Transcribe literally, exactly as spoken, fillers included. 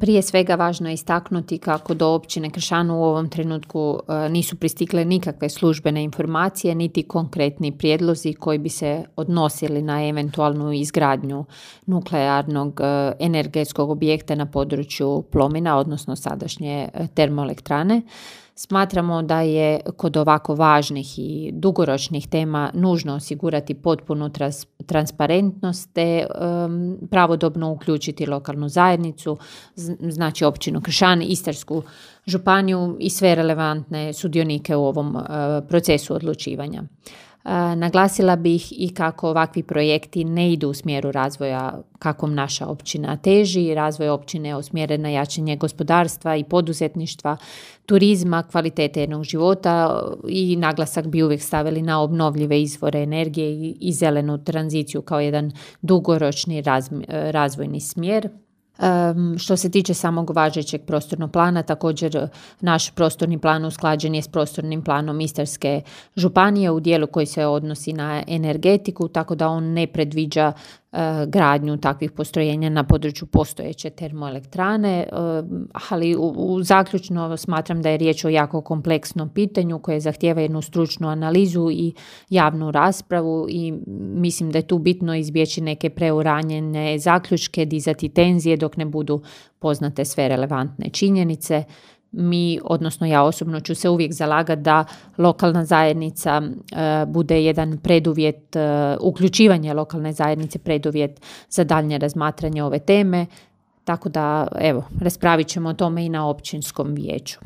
Prije svega važno je istaknuti kako do općine Kršan u ovom trenutku nisu pristigle nikakve službene informacije niti konkretni prijedlozi koji bi se odnosili na eventualnu izgradnju nuklearnog energetskog objekta na području Plomina, odnosno sadašnje termoelektrane. Smatramo da je kod ovako važnih i dugoročnih tema nužno osigurati potpunu trans- transparentnost te um, pravodobno uključiti lokalnu zajednicu, znači općinu Kršan, Istarsku županiju i sve relevantne sudionike u ovom uh, procesu odlučivanja. Uh, naglasila bih i kako ovakvi projekti ne idu u smjeru razvoja kakvom naša općina teži. Razvoj općine je usmjeren na jačanje gospodarstva i poduzetništva, turizma, kvalitete jednog života i naglasak bi uvijek stavili na obnovljive izvore energije i, i zelenu tranziciju kao jedan dugoročni raz, razvojni smjer. Um, što se tiče samog važećeg prostornog plana, također naš prostorni plan usklađen je s prostornim planom Istarske županije u dijelu koji se odnosi na energetiku, tako da on ne predviđa uh, gradnju takvih postrojenja na području postojeće termoelektrane, uh, ali u, u zaključno smatram da je riječ o jako kompleksnom pitanju koje zahtijeva jednu stručnu analizu i javnu raspravu i mislim da je tu bitno izbjeći neke preuranjene zaključke, dizati tenzije dok ne budu poznate sve relevantne činjenice. Mi, odnosno ja osobno ću se uvijek zalagati da lokalna zajednica uh, bude jedan preduvjet, uh, uključivanje lokalne zajednice preduvjet za daljnje razmatranje ove teme, tako da evo, raspravit ćemo o tome i na općinskom vijeću.